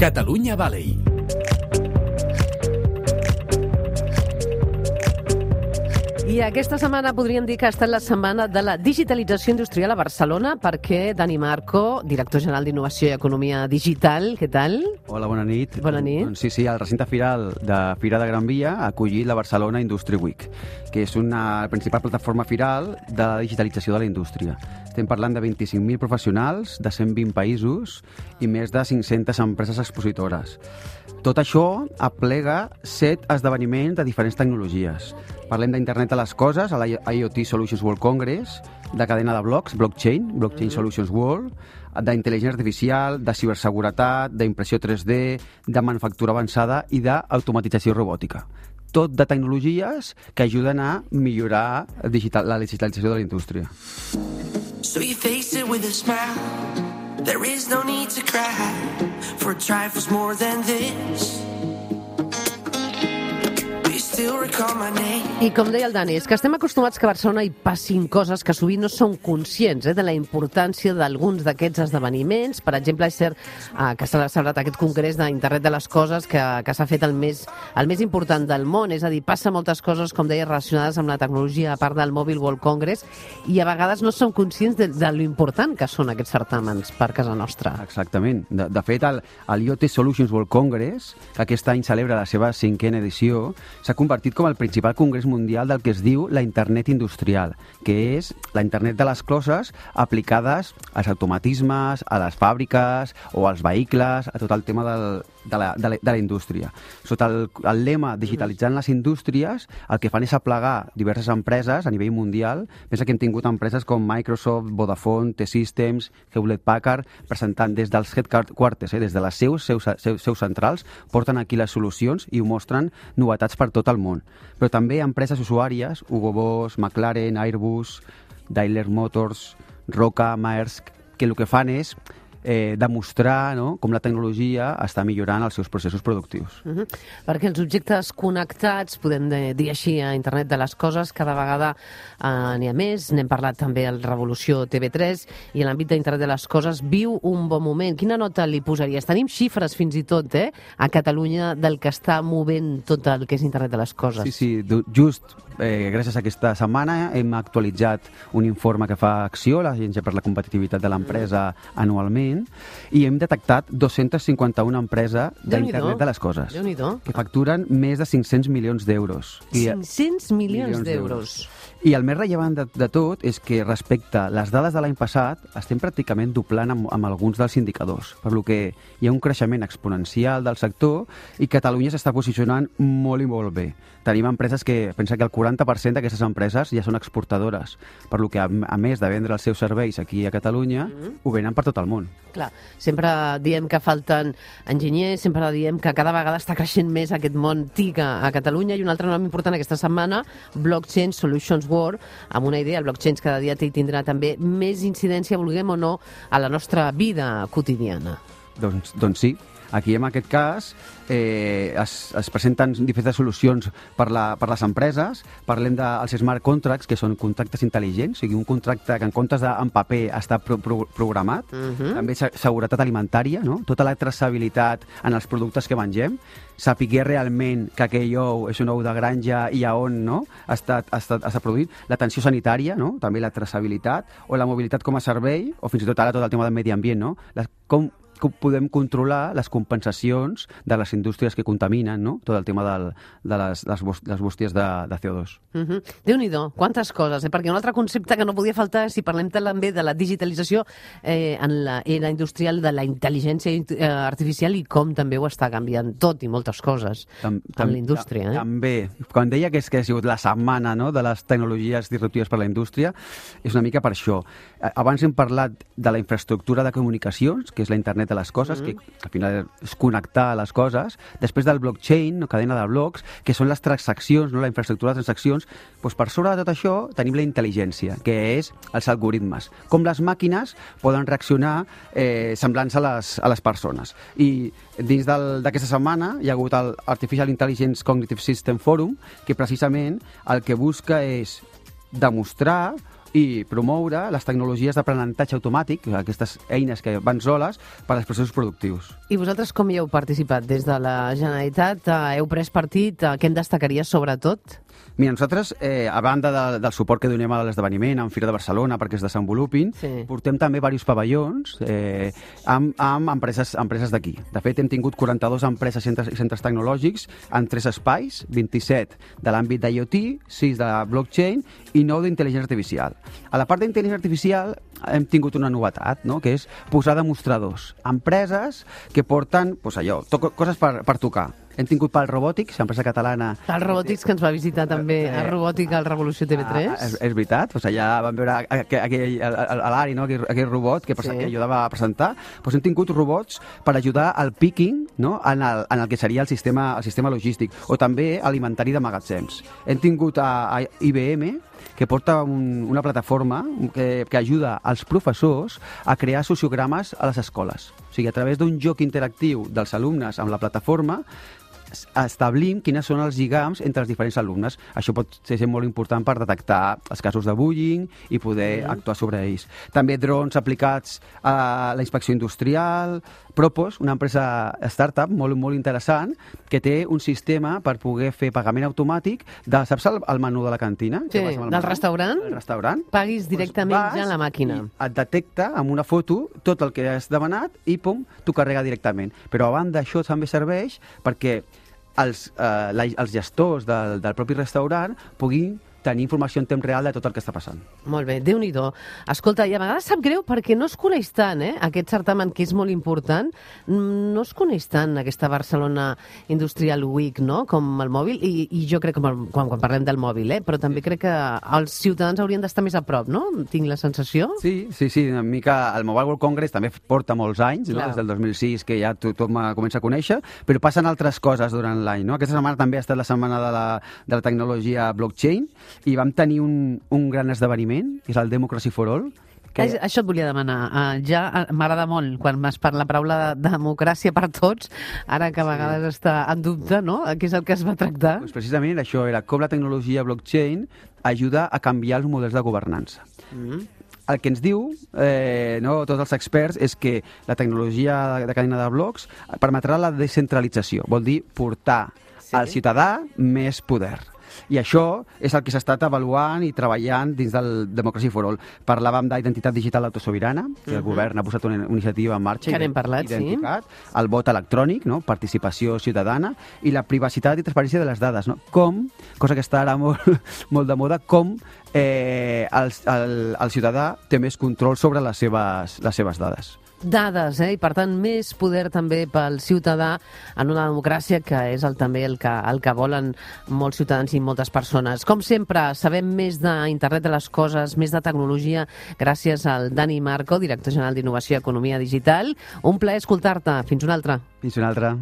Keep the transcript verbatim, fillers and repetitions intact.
Catalunya Valley. I aquesta setmana podríem dir que ha estat la setmana de la digitalització industrial a Barcelona, perquè Dani Marco, director general d'Innovació i Economia Digital, què tal? Hola, bona nit. Bona nit. Doncs sí, sí, el recinte firal de Fira de Gran Via ha acollit la Barcelona Industry Week, que és una principal plataforma firal de la digitalització de la indústria. Estem parlant de vint-i-cinc mil professionals de cent vint països i més de cinc-centes empreses expositores. Tot això aplega set esdeveniments de diferents tecnologies. Parlem d'internet de les coses, a la I O T Solutions World Congress, de cadena de blocs, blockchain, Blockchain mm-hmm. Solutions World, d'intel·ligència artificial, de ciberseguretat, d'impressió tres D, de manufactura avançada i d'automatització robòtica. Tot de tecnologies que ajuden a millorar digital, la digitalització de la indústria. So you face it with a smile. There is no need to cry for trifles more than this. I com deia el Dani, és que estem acostumats que a Barcelona hi passin coses que sovint no són conscients eh, de la importància d'alguns d'aquests esdeveniments. Per exemple, és cert eh, que s'ha celebrat aquest congrés d'Internet de les Coses que, que s'ha fet el més, el més important del món, és a dir, passa moltes coses, com deia, relacionades amb la tecnologia, a part del Mobile World Congress, i a vegades no som conscients de, de lo important que són aquests certàmens per casa nostra. Exactament. De, de fet, el, el I O T Solutions World Congress, que aquest any celebra la seva cinquena edició, s'ha convertit com el principal congrés mundial del que es diu la internet industrial, que és la internet de les coses aplicades als automatismes, a les fàbriques o als vehicles, a tot el tema del, de, la, de, la, de la indústria. Sota el, el lema digitalitzant les indústries, el que fan és aplegar diverses empreses a nivell mundial. Pensa que hem tingut empreses com Microsoft, Vodafone, T-Systems, Hewlett-Packard, presentant des dels headquarters, eh, des de les seus, seus, seus, seus centrals, porten aquí les solucions i ho mostren novetats per tot el món. Però també empreses usuàries, Hugo Boss, McLaren, Airbus, Daimler Motors, Roca, Maersk, que el que fan és eh, demostrar no, com la tecnologia està millorant els seus processos productius. Uh-huh. Perquè els objectes connectats, podem dir així, a Internet de les Coses, cada vegada eh, n'hi ha més. N'hem parlat també al Revolució T V tres, i l'àmbit d'Internet de les Coses viu un bon moment. Quina nota li posaries? Tenim xifres fins i tot eh, a Catalunya del que està movent tot el que és Internet de les Coses. Sí, sí, just eh, gràcies a aquesta setmana hem actualitzat un informe que fa Acció, l'Agència per la Competitivitat de l'Empresa, mm. anualment, i hem detectat dos-centes cinquanta-una empreses d'Internet de les Coses que facturen més de cinc-cents milions d'euros. cinc-cents milions d'euros. I el més rellevant de, de tot és que respecte a les dades de l'any passat estem pràcticament doblant amb, amb alguns dels indicadors, per lo que hi ha un creixement exponencial del sector i Catalunya s'està posicionant molt i molt bé. Tenim empreses que, pensa que el quaranta per cent d'aquestes empreses ja són exportadores, per lo que a, a més de vendre els seus serveis aquí a Catalunya, mm-hmm. ho venen per tot el món. Clar, sempre diem que falten enginyers, sempre diem que cada vegada està creixent més aquest món T I C a, a Catalunya, i un altre nom important aquesta setmana, Blockchain Solutions World, amb una idea, el blockchain cada dia tindrà també més incidència, vulguem o no, a la nostra vida quotidiana. Doncs, doncs sí. Aquí, en aquest cas, eh, es, es presenten diferents solucions per, la, per les empreses. Parlem dels smart contracts, que són contractes intel·ligents, o sigui, un contracte que en comptes d'en paper està pro, pro, programat. Uh-huh. També seguretat alimentària, no? Tota la traçabilitat en els productes que mengem, sapiguer realment que aquell ou és un ou de granja i a on no? ha, estat, ha, estat, ha estat produït. L'atenció sanitària, no? També la traçabilitat, o la mobilitat com a servei, o fins i tot ara tot el tema del medi ambient, no? La, com podem controlar les compensacions de les indústries que contaminen, no? Tot el tema del, de les, les, les bústies de, de C O dos. Uh-huh. Déu-n'hi-do, quantes coses, eh? Perquè un altre concepte que no podia faltar, si parlem també de la digitalització eh, en la era industrial, de la intel·ligència eh, artificial, i com també ho està canviant tot i moltes coses tam, tam, en la indústria. Eh? També. Quan deia que, és, que ha sigut la setmana no? de les tecnologies disruptives per a la indústria, és una mica per això. Abans hem parlat de la infraestructura de comunicacions, que és la internet de les coses, mm. que al final és connectar les coses. Després del blockchain, no, cadena de blocs, que són les transaccions, no, la infraestructura de transaccions. Doncs per sobre de tot això tenim la intel·ligència, que és els algoritmes. Com les màquines poden reaccionar eh, semblants a les, a les persones. I dins d'aquesta setmana hi ha hagut el Artificial Intelligence Cognitive System Forum, que precisament el que busca és demostrar i promoure les tecnologies d'aprenentatge automàtic, aquestes eines que van soles, per als processos productius. I vosaltres com hi heu participat? Des de la Generalitat eh, heu pres partit? Eh, què en destacaries sobretot? Mira, nosaltres, eh, a banda de, del suport que donem a l'esdeveniment, en Fira de Barcelona, perquè es desenvolupin, Sí. portem també diversos pavellons eh, amb, amb empreses, empreses d'aquí. De fet, hem tingut quaranta-dues empreses i centres, centres tecnològics en tres espais, vint-i-set de l'àmbit d'IoT, sis de blockchain i nou d'intel·ligència artificial. A la part d'intel·ligència artificial hem tingut una novetat, no?, que és posar demostradors. Empreses que porten, doncs allò, to coses per, per tocar. Hem tingut Pal Robòtics, empresa catalana... El Robòtics, que ens va visitar també a Robòtica al Revolució T V tres. Ah, és, és veritat, doncs allà vam veure aquell, aquell, l'Ari, no? aquell, aquell robot que, sí. que ajudava a presentar. Doncs hem tingut robots per ajudar al picking, no? en, el, en el que seria el sistema, el sistema logístic, o també alimentari de magatzems. Hem tingut a, a I B M, que porta un, una plataforma que, que ajuda als professors a crear sociogrames a les escoles. O sigui, a través d'un joc interactiu dels alumnes amb la plataforma, establim quines són els lligams entre els diferents alumnes. Això pot ser molt important per detectar els casos de bullying i poder mm. actuar sobre ells. També drons aplicats a la inspecció industrial. Propos, una empresa startup molt, molt interessant, que té un sistema per poder fer pagament automàtic de, saps el, el menú de la cantina? Sí, del menú? restaurant? El restaurant. Paguis directament pues ja a la màquina. Et detecta amb una foto tot el que has demanat i pum, t'ho carrega directament. Però a banda això també serveix perquè els, eh, la, els gestors del, del propi restaurant puguin tenir informació en temps real de tot el que està passant. Molt bé, Déu-n'hi-do. Escolta, i a vegades sap greu perquè no es coneix tant, eh? Aquest certamen que és molt important, no es coneix tant aquesta Barcelona Industrial Week, no?, com el mòbil, i, i jo crec que quan, quan parlem del mòbil, eh? Però també crec que els ciutadans haurien d'estar més a prop, no? Tinc la sensació. Sí, sí, sí, una mica el Mobile World Congress també porta molts anys, no? Des del dos mil sis, que ja tothom comença a conèixer, però passen altres coses durant l'any, no? Aquesta setmana també ha estat la setmana de la, de la tecnologia blockchain, i vam tenir un, un gran esdeveniment, que és el Democracy for All. Que... Això et volia demanar. Uh, ja m'agrada molt quan m'has parlat la paraula de democràcia per tots, ara que a vegades sí. està en dubte, no?, què és el que es va tractar. Pues precisament això era com la tecnologia blockchain ajuda a canviar els models de governança. Mm. El que ens diu, eh, no, tots els experts, és que la tecnologia de cadena de blocs permetrà la descentralització, vol dir portar sí. al ciutadà més poder. I això és el que s'ha estat avaluant i treballant dins del Democracy for All. Parlàvem d'identitat digital autosobirana, que el uh-huh. govern ha posat una iniciativa en marxa. Que n'hem parlat, sí. El vot electrònic, no? Participació ciutadana, i la privacitat i transparència de les dades. No? Com, cosa que està ara molt, molt de moda, com eh, el, el, el ciutadà té més control sobre les seves, les seves dades. Dades, eh? I per tant més poder també pel ciutadà en una democràcia que és el, també el que, el que volen molts ciutadans i moltes persones. Com sempre, sabem més d'internet de les coses, més de tecnologia, gràcies al Dani Marco, director general d'Innovació i Economia Digital. Un plaer escoltar-te. Fins una altra. Fins una altra.